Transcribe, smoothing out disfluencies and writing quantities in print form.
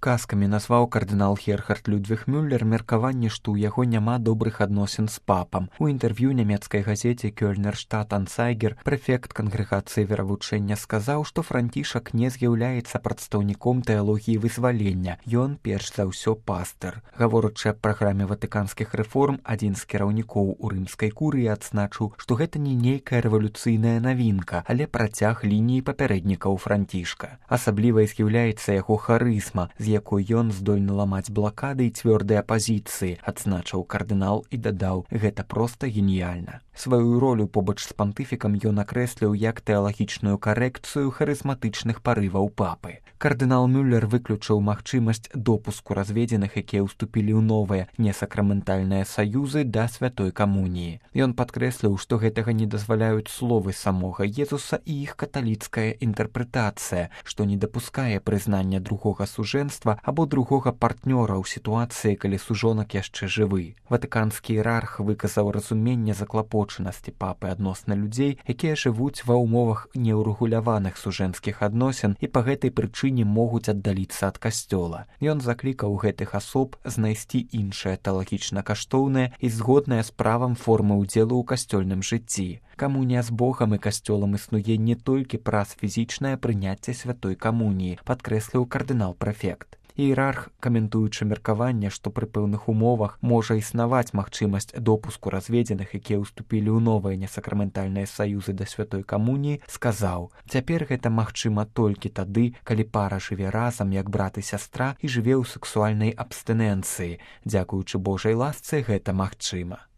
Казкамі назваў кардынал Герхард Людвіг Мюллер меркаванне, што ў яго няма добрых адносін з папам. У інтэрв'ю нямецкай газеце «Кёльнер Штат Ансайгер» прэфект кангрэгацыі веравучэння сказаў, што Францішак не з'яўляецца прадстаўніком тэалогіі вызвалення. Ён, перш за ўсё, пастыр. Гаворачы аб праграме ватыканскіх рэформ, адзін з кіраўнікоў у рымскай курыі адзначыў, што гэта не нейкая рэвалюцыйная навінка, але працяг лініі папярэднікаў Францішка. Асаблівай з'яўляецца яго харызма, з якой ён здольны ламаць блакады і цвёрдыя пазіцыі, адзначыў кардынал і дадаў: гэта проста геніяльна. Сваю ролю побач з пантыфікам ён акрэсліў як тэалагічную карэкцыю харызматычных парываў папы. Кардынал Мюллер выключыў магчымасць допуску разведзеных, якія ўступілі ў новыя несакраментальныя саюзы да святой камуніі. Ён падкрэсліў, што гэтага не дазваляюць словы самога Езуса і іх каталіцкая інтэрпрэтацыя, што не дапускае прызнання другога сужэнства або другога партнёра ў сітуацыі, калі сужонак яшчэ жывы. Ватыканскі іерарх выказаў разуменне заклапочанасці папы адносна людзей, якія жывуць ва ўмовах неўрэгуляваных сужэнскіх адносін і па гэтай прычыне могуць аддаліцца ад касцёла. Ён заклікаў гэтых асоб знайсці іншае тэалагічна каштоўнае і згоднае з правам формы ўдзелу ў касцёльным жыцці. Камунія з Богам і касцёлам існуе не толькі праз фізічнае прыняцце святой камуніі, падкрэсліў кардынал-прэфект. Іерарх, каментуючы меркаванне, што пры пэўных умовах можа існаваць магчымасць допуску разведзеных, якія ўступілі ў новыя несакраментальныя саюзы да святой камуніі, сказаў: цяпер гэта магчыма толькі тады, калі пара жыве разам як брат і сястра і жыве ў сексуальнай абстыненцыі. Дзякуючы Божай ласцы гэта магчыма.